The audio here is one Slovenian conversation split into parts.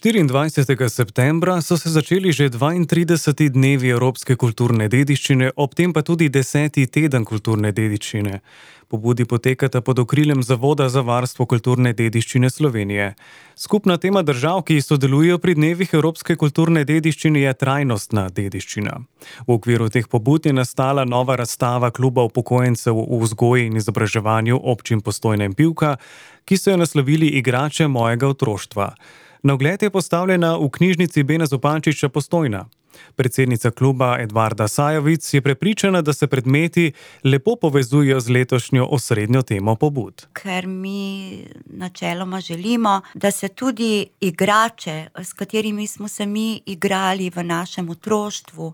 24. septembra so se začeli že 32. dnevi Evropske kulturne dediščine, ob tem pa tudi 10. teden kulturne dediščine. Pobudi potekata pod okriljem Zavoda za varstvo kulturne dediščine Slovenije. Skupna tema držav, ki sodelujejo pri dnevih Evropske kulturne dediščine, je trajnostna dediščina. V okviru teh pobud je nastala nova razstava Kluba upokojencev v vzgoji in izobraževanju občin Postojna in Pivka, ki so jo naslovili Igrače mojega otroštva. Na ogled je postavljena v knjižnici Bena Zupančiča Postojna. Predsednica kluba Edvarda Sajovic je prepričana, da se predmeti lepo povezujejo z letošnjo osrednjo temo pobud. Ker mi načeloma želimo, da se tudi igrače, s katerimi smo se mi igrali v našem otroštvu,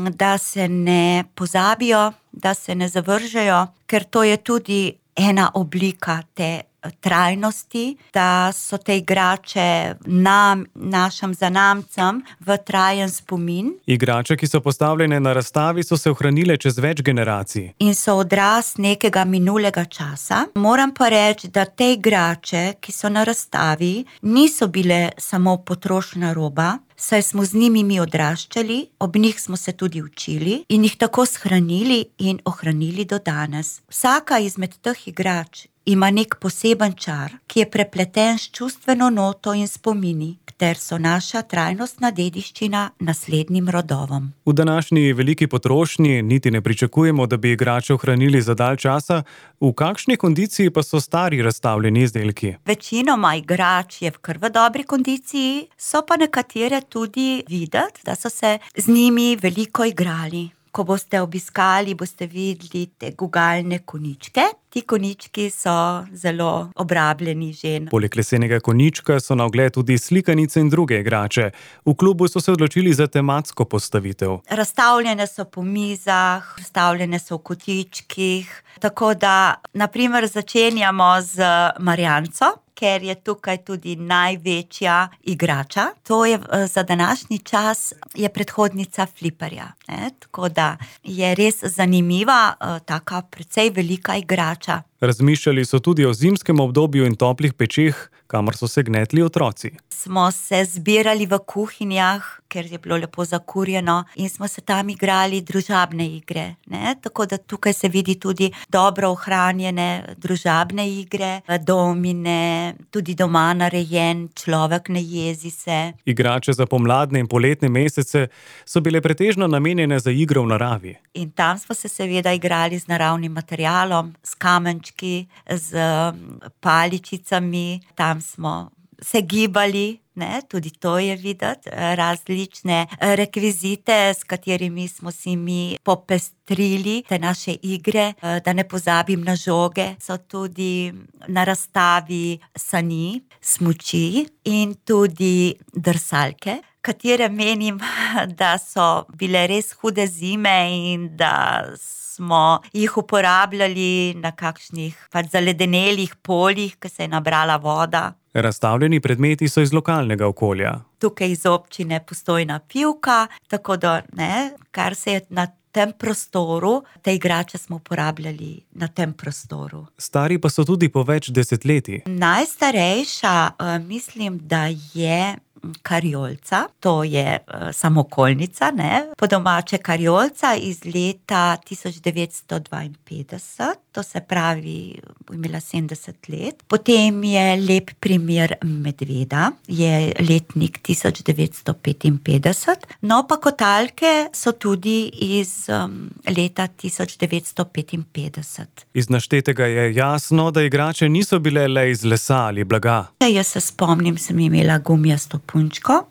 da se ne pozabijo, da se ne zavržejo, ker to je tudi ena oblika te trajnosti, da so te igrače nam, našim zanamcem v trajen spomin. Igrače, ki so postavljene na razstavi, so se ohranile čez več generacij. In so odraz nekega minulega časa. Moram pa reči, da te igrače, ki so na razstavi, niso bile samo potrošna roba, saj smo z njimi mi odraščali, ob njih smo se tudi učili in jih tako shranili in ohranili do danes. Vsaka izmed teh igrač ima nek poseben čar, ki je prepleten s čustveno noto in spomini, ter so naša trajnostna dediščina naslednjim rodovom. V današnji veliki potrošnji niti ne pričakujemo, da bi igrače ohranili za dalj časa. V kakšni kondiciji pa so stari razstavljeni izdelki? Večinoma igrač je v kar v dobri kondiciji, so pa nekatere tudi videti, da so se z njimi veliko igrali. Ko boste obiskali, boste videli te gugalne konjičke. Ti konjički so zelo obrabljeni že. Poleg lesenega konjička so na ogled tudi slikanice in druge igrače. V klubu so se odločili za tematsko postavitev. Razstavljene so po mizah, razstavljene so v kotičkih, tako da na primer začenjamo z Marjanco, ker je tukaj tudi največja igrača. To je za današnji čas je predhodnica fliperja, ne? Tako da je res zanimiva, taka precej velika igrača. Razmišljali so tudi o zimskem obdobju in toplih pečeh, kamor so se gnetli otroci. Smo se zbirali v kuhinjah, ker je bilo lepo zakurjeno in smo se tam igrali družabne igre, ne? Tako da tukaj se vidi tudi dobro ohranjene družabne igre, domine, tudi doma narejen človek, ne jezi se. Igrače za pomladne in poletne mesece so bile pretežno namenjene za igro v naravi. In tam smo se seveda igrali z naravnim materialom, s kamenčki, z paličicami, tam smo se gibali, ne, tudi to je videti, različne rekvizite, s katerimi smo si mi popestrili te naše igre. Da ne pozabim na žoge, so tudi na razstavi sani, smuči in tudi drsalke, katere menim, da so bile res hude zime in da smo jih uporabljali na kakšnih zaledenelih poljih, ko se je nabrala voda. Razstavljeni predmeti so iz lokalnega okolja. Tukaj iz občine Postojna Pivka, tako da, ne, kar se je na tem prostoru, te igrače smo uporabljali na tem prostoru. Stari pa so tudi po več desetletij. Najstarejša, mislim, da je Karjolca, to je samokolnica, ne, po domače Karjolca iz leta 1952, to se pravi, imela 70 let. Potem je lep primer medveda, je letnik 1955, no pa kotalke so tudi iz leta 1955. Iz naštetega je jasno, da igrače niso bile le iz lesa ali blaga. Jaz se spomnim, sem imela gumijasto punčko,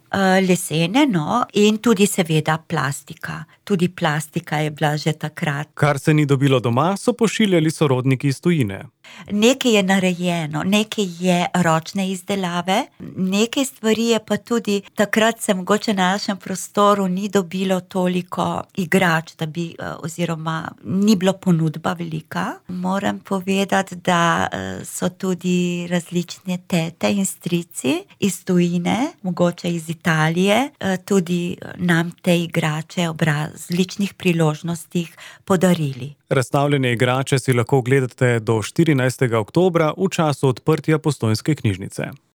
lesene, no, in tudi seveda plastika. Tudi plastika je bila že takrat. Kar se ni dobilo doma, so pošiljali sorodniki iz tujine. Nekaj je narejeno, nekaj je ročne izdelave, nekaj stvari je pa tudi, takrat se mogoče na našem prostoru ni dobilo toliko igrač, da bi, oziroma ni bilo ponudba velika. Moram povedati, da so tudi različne tete in strici iz tujine, mogoče iz Italije, tudi nam te igrače ob različnih priložnostih podarili. Razstavljene igrače si lahko ogledate do 14. oktobra v času odprtja Postojnske knjižnice.